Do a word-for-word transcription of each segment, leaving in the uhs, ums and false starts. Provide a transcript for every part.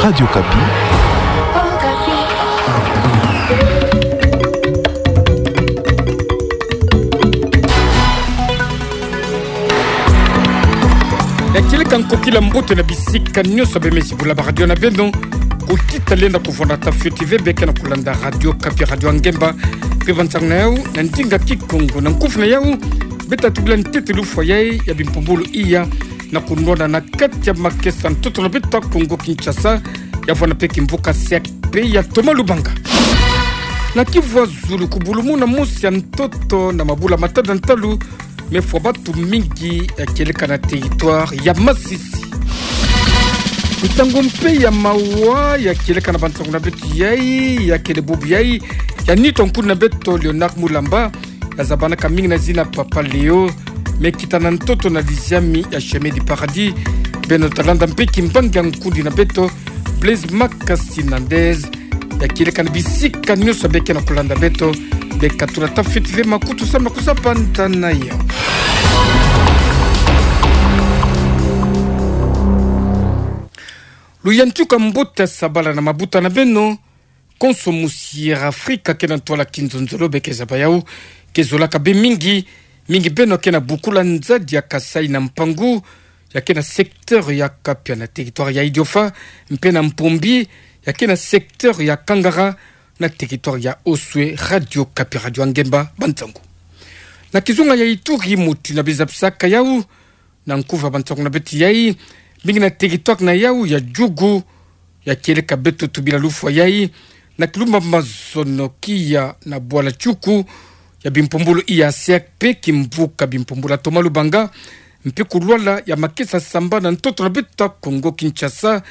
Radio Okapi. Ya kieleka nkokila mbote na bisika nyonso bemezi bula ba radio na beno. Kuti talenda kuvwanda ta fioti ve beke na kulanda Radio Okapi, radio ya ngemba. Mpe bansangu na yau na ndinga Kikongo, na nkufi na yau beta tubila ntete lufwa yai ya bimpumbulu iya na kunwana na kati ya makesa ntoto na beto ya Kongo Kinshasa, ya vwanda mpe kimvuka C R P ya Thomas Lubanga. Na kivwa zulu, kubulumuna mosi ya ntoto na mabula matanu na ntalu mefwa batu mingi ya kieleka na territoire ya Masisi. Nsangu mpe ya mawa ya kieleka na bansangu na beto yai, ya kele bubu yai ya nitu ya nkundi na beto Léonard Mulamba, ya zabanaka mingi na zina Papa Léo, me kita na ntoto na liziami ya Chemin du Paradis. Beno talanda mpe kimbangi ya nkundi na beto Blaise Makasi Nandez. Ya kieleka na bisika nyonso beke na kulanda beto, beka tula ta fioti ve makutu samu na kusabanda na yau. Luyantika mbote, sabala na mabuta na beno. Konso Musiera Afrika ke na ntwala kinzonzolo beke zaba yau, ke zolaka be mingi, mingi beno ke na bukula nzadi ya Kasaï na Mpangu, ya ke na secteur ya Kapia na territoire ya Idiofa, mpe na Mpombi, ya ke na secteur ya Kangara na territoire ya Oswé. Radio Okapi, radio ya ngemba, bansangu. Na kizunga ya Ituri, muti na bizabisaka yau na nkufi ya bansangu na beto yai, mingi na territoire na yau ya Djugu, ya kieleka beto tubila lufwa yai na kilumba mazono kia na bwala Tiuku ya bimpumbulu iya C R P, kimvuka bimpumbulu ya Thomas Lubanga, mpe kulwala ya makesa sambana ntoto na beto ya Kongo Kinshasa,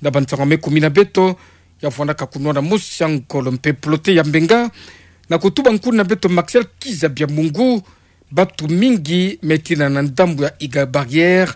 na bansangu me kumi na beto, ya vwandaka kunwana mosi ya ngolo mpe plote ya mbenga, na kutuba nkundi na beto Maxel Kiza Biamungu, batu mingi me tina na ndambu ya Iga Barrière,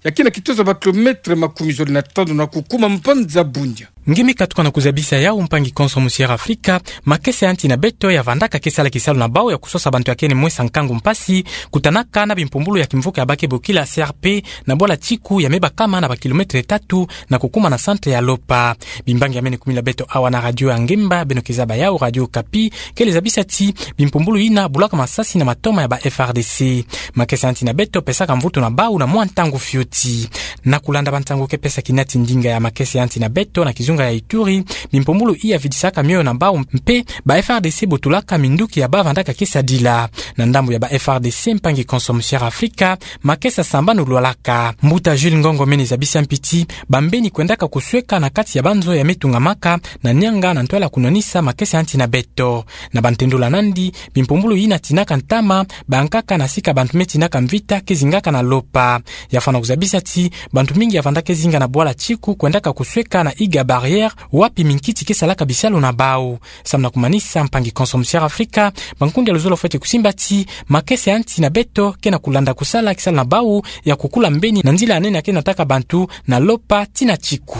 ya ke na kitoza ba kilomètre makumi zole na tanu na kukuma mbanza Bunia. Nge me katuka na kuzabisa yau, mpangi konso Musiera Afrika, makesa ya nti na beto ya vandaka ke sala kisalu na bau ya kusosa bantu ya kene mwesa nkangu mpasi, kutanaka na bimpumbulu ya kimvuka ya bake bokila C R P, na bwala Tiku ya me bakama na ba kilomètre tatu na kukuma na centre ya Lopa. Bimbangi ya mene kumi na beto awa na radio ya ngemba, beno ke zaba yau Radio Okapi, kele zabisa ti bimpumbulu yina bulaka masasi na matoma ya ba F R D C. Makesa ya nti na beto pesaka mvutu na bau na mwa ntangu fioti. Na kulanda bansangu ke pesa kinati ndinga ya makesa ya nti na beto na kizunga ya Ituri, bimpumbulu iya vidisaka mioyo na bau mpe ba F R D C botolaka minduki ya bau vandaka ke sadila. Na ndambu ya ba F R D C, mpangi konso Musiera Afrika, makesa sambanu lwalaka. Mbuta Jules Ngongo mene zabisa mpi ti bambeni kwendaka kusweka na kati ya banzo ya me tungamaka na nianga na ntwala kunwanisa makesa ya nti na beto. Na bantendula nandi, bimpumbulu yina tinaka ntama, bankaka na sika bantu me tinaka mvita ke zingaka na Lopa. Ya fwana kuzabisa ti bantu mingi ya vandaka ke zinga na bwala Tiku kwendaka kusweka na Iga Barrière, wapi minkiti ke salaka bisalu na bau. Samu na kumanisa, mpangi konso Musiera Afrika, bankundi ya luzolo fwete kusimba ti makesa ya nti na beto ke na kulanda kusala kisalu na bau ya kukula mbeni na nzila ya nene ya ke nataka bantu na Lopa tii na Tiku.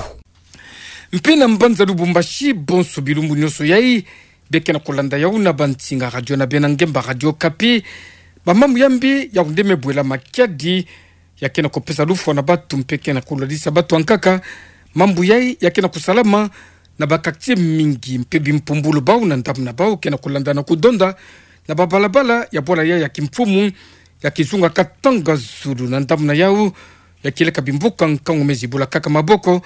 Mpe na mbanza Lubumbashi, bonso bilumbu nyonso yai, beke na kulanda yau na bansinga radio na beno ya ngemba Radio Okapi, bamambu ya mbi yau nde me bwela makiadi, ya ke na kupesa lufwa na bantu mpe ke na kulalisa bantu ankaka. Mambu yai ya ke na kusalama na ba quartier mingi, mpe bimpumbulu bau na ndambu na bau ke na kulanda na kudonda na babalabala ya bwala yai ya kimfumu ya kizunga Katanga Zulu. Na ndambu na yau, ya kieleka bimvuka nkangu me zibulakaka maboko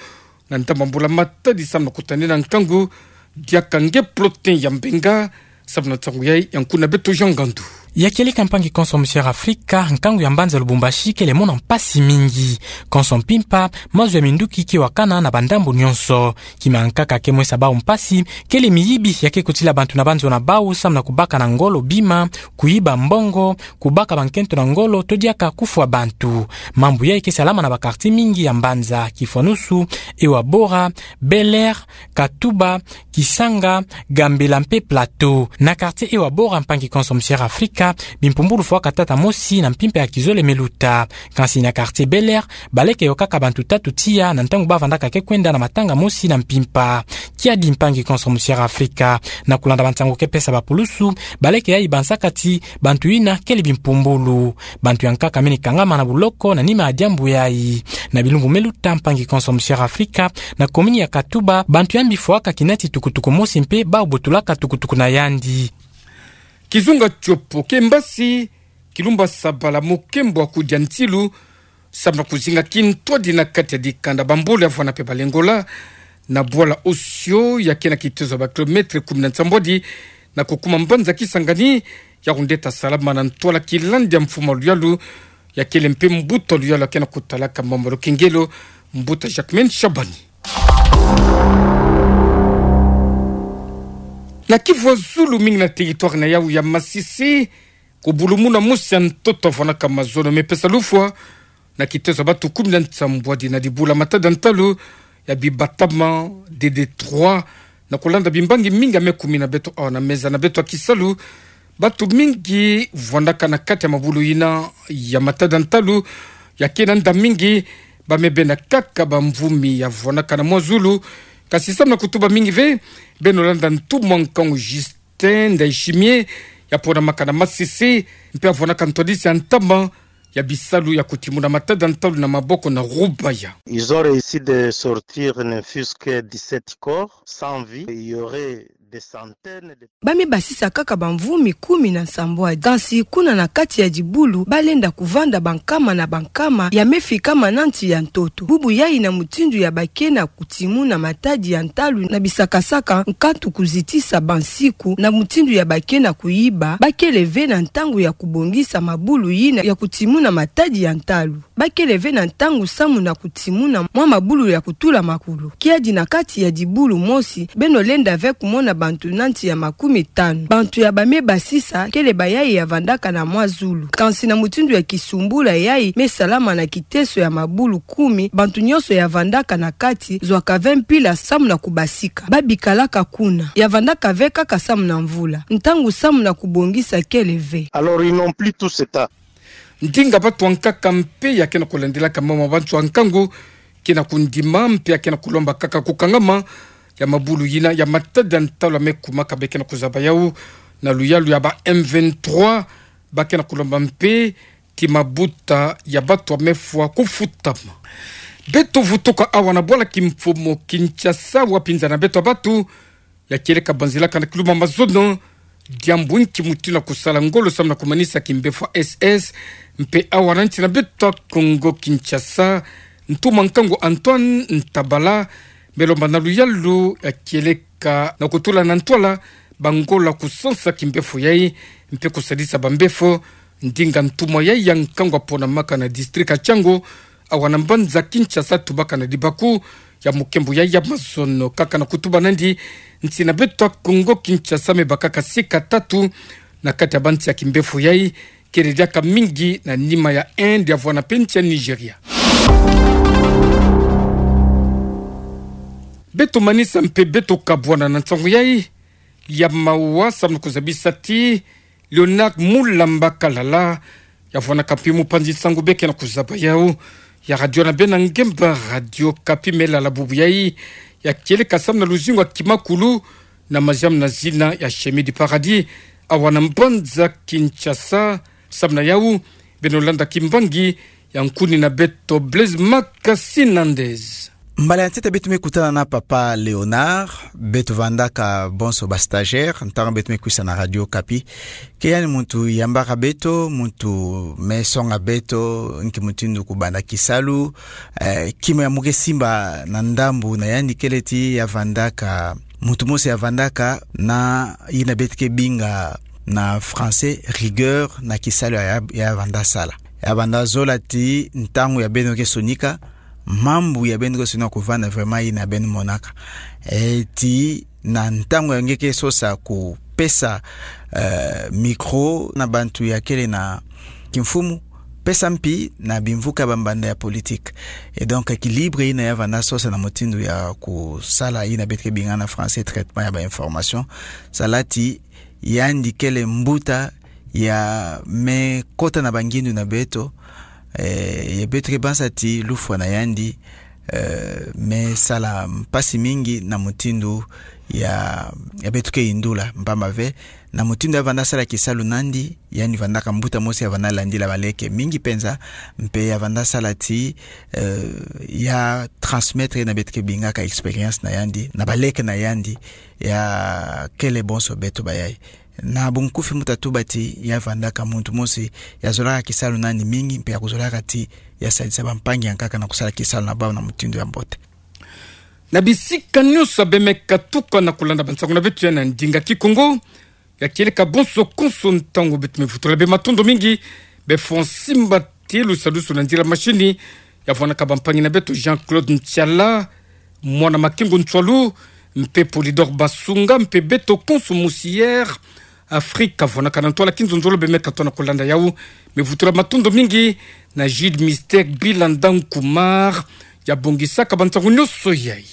na ndambu ya mbula matadi samu na kutanina nkangu. Diaka nge plotin ya mbenga samu na nsangu yai, ya nkundi na beto Jean Ngandu. Ya kieleka, mpangi konso Musiera Afrika, nkangu ya mbanza Lubumbashi kele mona mpasi mingi. Konso mpimpa, mazu ya minduki ke wakana na bandambu nyonso. Kima nkaka ke mwesa bau mpasi kele miyibi ya ke kutila bantu na banzo na bau samu na kubaka na ngolo bima, kuyiba mbongo, kubaka bankento na ngolo, to diaka kufwa bantu. Mambu yai ke salama na ba quartier mingi ya mbanza, kifwanusu Ewa Bora, Bel Air, Katuba, Kisanga, Gambela mpe Plateau. Na quartier Ewa Bora, mpangi konso Musiera Afrika, bimpumbulu fwaka tata mosi na mpimpa ya kizole me luta. Kansi na quartier Bel Air, baleke yokaka bantu tatu tiya na ntangu ba vandaka ke kwenda na matanga mosi na mpimpa. Kiadi mpangi konso musiara Afrika. Na kulanda bansango ke pesa bapulusu, baleke yayi bansaka ti bantu yina kele bimpumbulu. Bantu ya nkaka mini kangama na buloko na nima ya diambu yayi. Na bilumbu me luta, mpangi konso musiara Afrika, na komini ya Katuba, bantu yambi fwaka kinati tukutuku mosi mpe bawu botulaka tukutuku na yandi. Kizunga tiopo ke mbasi, kilumba sabala mokembo wa kudia ntilu, samu na kuzinga kintwadi na kati ya dikanda bambole ya vwana mpe balengola, na bwala osio ya ke na kitezo ya ba kilomètre kumi na nsambwadi, na kukuma mbanza Kisangani, ya kundeta salama na ntwala kilandi ya mfumu wa luyalu, ya kele mpe mbuta wa luyalu ya ke na kutalaka mambu ya lukengelo, mbuta Jacquemain Shabani. Na kivwa zulu mingi na territoire na yawu ya Masisi, kubulumuna mosi ya ntoto ya vwanaka mazono me pesa lufwa, na kitezo ya bantu kumi na nsambwadi na dibula matada ntalu ya bibatama, de détroit, na kulanda bimbangi mingi ya me kumi na beto awa na meza na beto ya kisalu, bantu mingi vwandaka na kati ya mabulu yina ya matada ntalu, ya ke na nda mingi, ba me bena kaka bamvumi ya vwanaka na mwa zulu, kasi samu na kutuba mingi ve, beno landa ntumwa nkangu Justin Ndayishimiye, ya ponamaka na Masisi, mpe ya vwanaka ntwadisi ya ntama ya bisalu ya kutimuna matada ntalu na maboko na Rubaya. Ils ont réussi de sortir ne fût-ce que dix-sept corps sans vie. Il y aurait des centaines de... Ba me basisa kaka bamvumi kumi na nsambwadi. Kasi kuna na kati ya dibulu, ba lenda kuvanda bankama na bankama ya me fikama na nti ya ntoto. Bubu yayi na mutindu ya ba ke na kutimuna matadi ya ntalu na bisakasaka, nkatu kuzitisa bansiku, na mutindu ya ba ke na kuyiba, ba kele ve na ntangu ya kubongisa mabulu yina ya kutimuna matadi ya ntalu. Ba kele ve na ntangu samu na kutimuna mwa mabulu ya kutula makulu. Kiadi na kati ya dibulu mosi, beno lenda ve kumona bantu na nti ya makumi tanu. Bantu ya ba me basisa kele bayayi ya vandaka na mwa zulu. Kasi na mutindu ya kisumbula yayi me salama na kiteso ya mabulu kumi, bantu nyonso ya vandaka na kati zwaka ve mpila samu na kubasika. Ba bikalaka kuna. Ya vandaka ve kaka samu na mvula. Ntangu samu na kubongisa kele ve. Alors, ils n'ont plus tout ce temps. Ndinga bantu ya nkaka mpe ya ke na kulandelaka mambu ma bantu ya nkangu, ke na kundima mpe ya ke na kulomba kaka kukangama ya mabulu yina ya matada ntalu ya me kumaka, be ke na kuzaba yawu na luyalu ya ba M vingt-trois, ba ke na kulomba mpe ti mabuta ya bantu ya me fwa kufutama. Beto vutuka awa na bwala kimfumu Kinshasa, wapi nza na beto ya bantu ya kieleka banzila kana kiluma mazono, diambu nki mutindu na kusala ngolo samu na kumanisa kimbefo ya S S, mpe awa na nsi na beto ya Congo Kinshasa, ntumwa nkangu Antoine Ntabala, me lomba na luyalu ya kieleka na kutula na ntwala bangolo ya kusansa kimbefo yayi, mpe kusadisa bambefo, ndinga ntumwa yayi ya nkangu ya ponamaka na district ya Tshangu, awa na mbanza Kinshasa, tubaka na libaku ya mukembo yayi ya mazono. Kaka na kutuba nandi, nsi na beto ya Congo Kinshasa me bakaka sika tatu na kati ya bansi ya kimbefo yayi, kele diaka mingi na nima ya Inde, ya vwana mpe nsi ya Nigeria. Beto manisa mpe beto kabwana na nsangu yayi ya mawa samu na kuzabisa ti Léonard Mulamba Kalala, ya vwanaka mpe mupanzi nsangu, be ke na kuzaba yawu ya radio na bena ngemba Radio Okapi, me lala bubu yayi ya kieleka samu na luzingu ya kimakulu na maziamu na zina ya Chemin du Paradis, awa na mbanza Kinshasa. Samu na yawu, beno landa kimbangi ya nkuni na beto Blaise Makasinandez. Mbala ya ntete beto me kutana na papa Léonard, beto vandaka bonso ba stagiaire ntangu beto me kwisa na Radio Okapi. Ke yandi muntu yambaka beto, muntu me songa beto nki mutindu kubanda kisalu, eh, kima ya mu ke simba na ndambu na yandi kele ti ya vandaka, muntu mosi ya vandaka na yina beto ke binga na français rigueur na kisalu ya, ya, ya vanda sala. Ya vanda zola ti ntangu ya beno ke sonika, mambu ya beno ke sonika kuvanda, vraiment yina beno monaka. Eh, ti na ntangu ya nge ke sosa kupesa, eh, micro na bantu ya kele na kimfumu, pesa mpi na bimvuka ya bambanda ya politique. Et donc, équilibre yina ya vanda sosa na mutindu ya kusala yina beto ke binga na français traitement ya ba information. Sala ti yandi kele mbuta ya me kota na bangindu na beto, eh, ya beto ke banza ti lufwa na yandi, Eh, me sala mpasi mingi na mutindu ya, ya beto ke yindula, mpamba ve, na mutindu ya vanda sala kisalu nandi, yandi vandaka mbuta mosi ya vanda landila baleke mingi penza, mpe ya vanda sala ti, eh, ya transmettre na beto ke bingaka expérience na yandi, na baleke na yandi, ya kele bonso beto bayai. Na bunkufi mbuta tuba ti ya vandaka muntu mosi ya zolaka kisalu nandi mingi, mpe ya kuzolaka ti ya sadisa bampangi ya nkaka na kusala kisalu na bau na mutindu ya mbote. Na bisika nyonso bemeka tuka na kulanda bansangu na beto ya na ndinga Kikongo, ya kieleka bonso konso ntangu beto me vutula bê matondo mingi, bê Francis Mbati, lusalusu na nzila mashini, ya vwanaka bampangi na beto Jean-Claude Ntiala, mwana Makengo Ntswalu, mpe Polydor Basunga, mpe beto konso mosi Air Afrique, vwanaka na ntwala kinzonzolo bemeka tona kulanda yau, me vutula matondo mingi na Jude Mystère Bilanda Nkumar, ya bongisaka bansangu nyonso yai.